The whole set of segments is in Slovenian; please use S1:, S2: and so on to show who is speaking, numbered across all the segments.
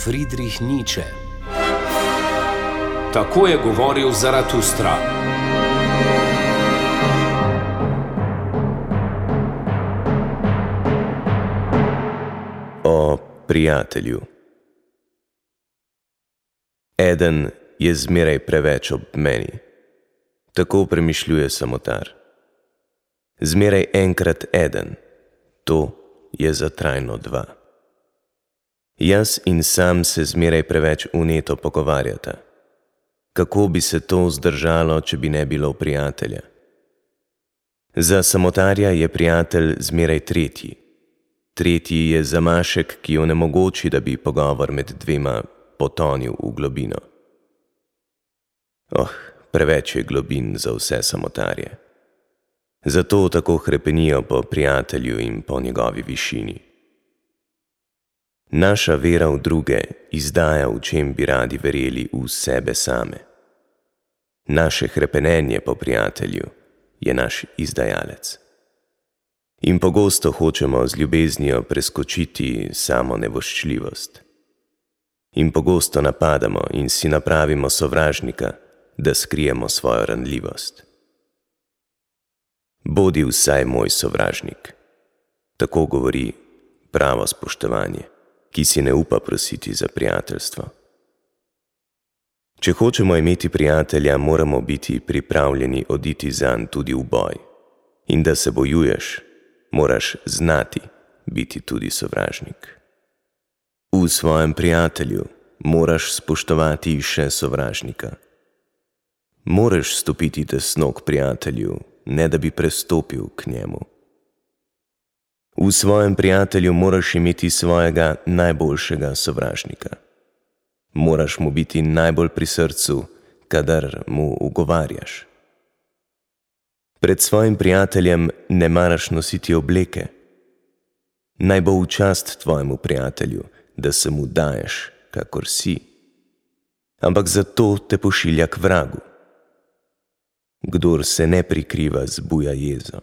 S1: Friedrich Nietzsche. Tako je govoril Zaratustra.
S2: O prijatelju. Eden je zmeraj preveč ob meni. Tako premišljuje samotar. Zmeraj enkrat eden, to je za trajno dva. Jaz in sam se zmeraj preveč vneto pogovarjata. Kako bi se to zdržalo, če bi ne bilo prijatelja? Za samotarja je prijatelj zmeraj tretji. Tretji je zamašek, ki onemogoči, da bi pogovor med dvema potonil v globino. Preveč je globin za vse samotarje. Zato tako hrepenijo po prijatelju in po njegovi višini. Naša vera v druge izdaja, v čem bi radi verjeli, v sebe same. Naše hrepenenje po prijatelju je naš izdajalec. In pogosto hočemo z ljubeznijo preskočiti samo nevoščljivost. In pogosto napadamo in si napravimo sovražnika, da skrijemo svojo ranljivost. Bodi vsaj moj sovražnik. Tako govori pravo spoštovanje, ki si ne upa prositi za prijateljstvo. Če hočemo imeti prijatelja, moramo biti pripravljeni oditi zanj tudi v boj. In da se bojuješ, moraš znati biti tudi sovražnik. V svojem prijatelju moraš spoštovati še sovražnika. Moraš stopiti tesno k prijatelju, ne da bi prestopil k njemu. V svojem prijatelju moraš imeti svojega najboljšega sovražnika. Moraš mu biti najbolj pri srcu, kadar mu ugovarjaš. Pred svojim prijateljem ne maraš nositi obleke. Naj bo v čast tvojemu prijatelju, da se mu daješ, kakor si. Ampak zato te pošilja k vragu. Kdor se ne prikriva, zbuja jezo.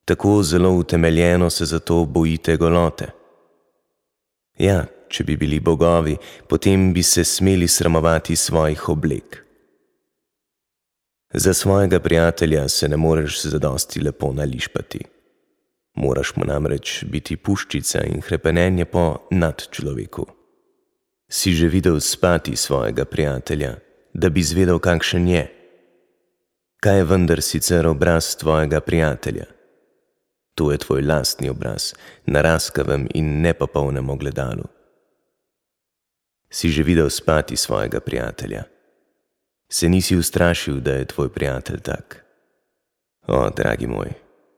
S2: Tako zelo utemeljeno se zato bojite golote. Ja, če bi bili bogovi, potem bi se smeli sramovati svojih oblek. Za svojega prijatelja se ne moreš zadosti lepo nališpati. Moraš mu namreč biti puščica in hrepenenje po nadčloveku. Si že videl spati svojega prijatelja, da bi zvedel, kakšen je? Kaj je vendar sicer obraz tvojega prijatelja? To je tvoj lastni obraz, na raskavem in nepopolnem ogledalu. Si že videl spati svojega prijatelja? Se nisi ustrašil, da je tvoj prijatelj tak? Dragi moj,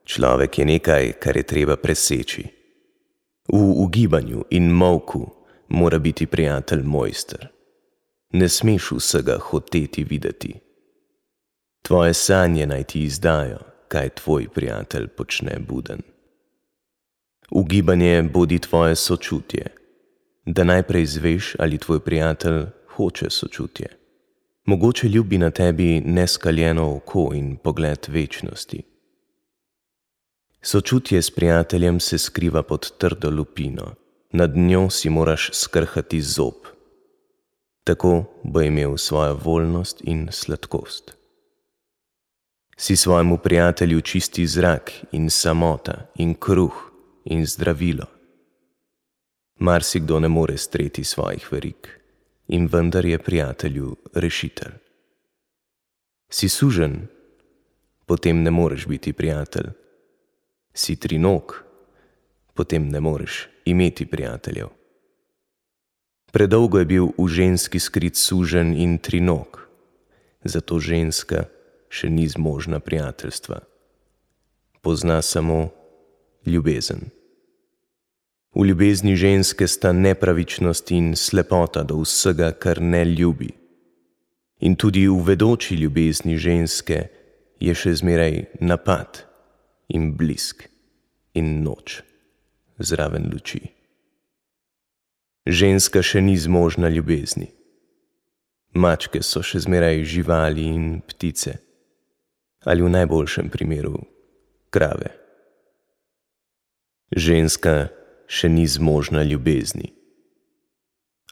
S2: človek je nekaj, kar je treba preseči. V ugibanju in molku mora biti prijatelj mojster. Ne smeš vsega hoteti videti. Tvoje sanje naj ti izdajo, kaj tvoj prijatelj počne buden. Ugibanje bodi tvoje sočutje, da najprej zveš, ali tvoj prijatelj hoče sočutje. Mogoče ljubi na tebi neskaljeno oko in pogled večnosti. Sočutje s prijateljem se skriva pod trdo lupino, nad njo si moraš skrhati zob. Tako bo imel svojo voljnost in sladkost. Si svojemu prijatelju čisti zrak in samota in kruh in zdravilo. Marsikdo ne more streti svojih verig in vendar je prijatelju rešitelj. Si suženj, potem ne moreš biti prijatelj. Si trinog, potem ne moreš imeti prijateljev. Predolgo je bil v ženski skrit suženj in trinog, zato ženska še ni zmožna prijateljstva. Pozna samo ljubezen. V ljubezni ženske sta nepravičnost in slepota do vsega, kar ne ljubi. In tudi v vedoči ljubezni ženske je še zmeraj napad in blisk in noč zraven luči. Ženska še ni zmožna ljubezni. Mačke so še zmeraj živali in ptice, ali v najboljšem primeru krave. Ženska še ni zmožna ljubezni.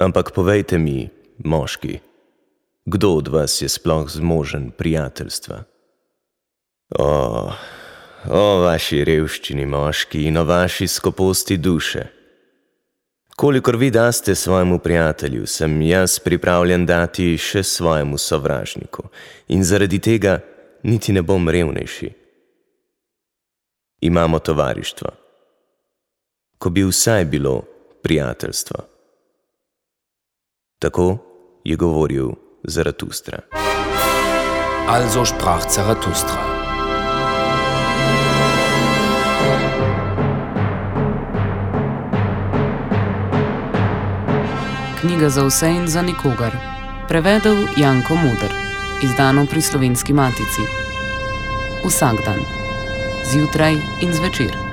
S2: Ampak povejte mi, moški, kdo od vas je sploh zmožen prijateljstva? O vaši revščini, moški, in o vaši skoposti duše. Kolikor vi daste svojemu prijatelju, sem jaz pripravljen dati še svojemu sovražniku in zaradi tega niti ne bom revnejši. Imamo tovarištvo. Ko bi vsaj bilo prijateljstvo. Tako je govoril Zaratustra.
S1: Also sprach Zarathustra.
S3: Knjiga za vse in za nikogar. Prevedel Janko Moder. Izdano pri Slovenski matici. Vsak dan. Zjutraj in zvečer.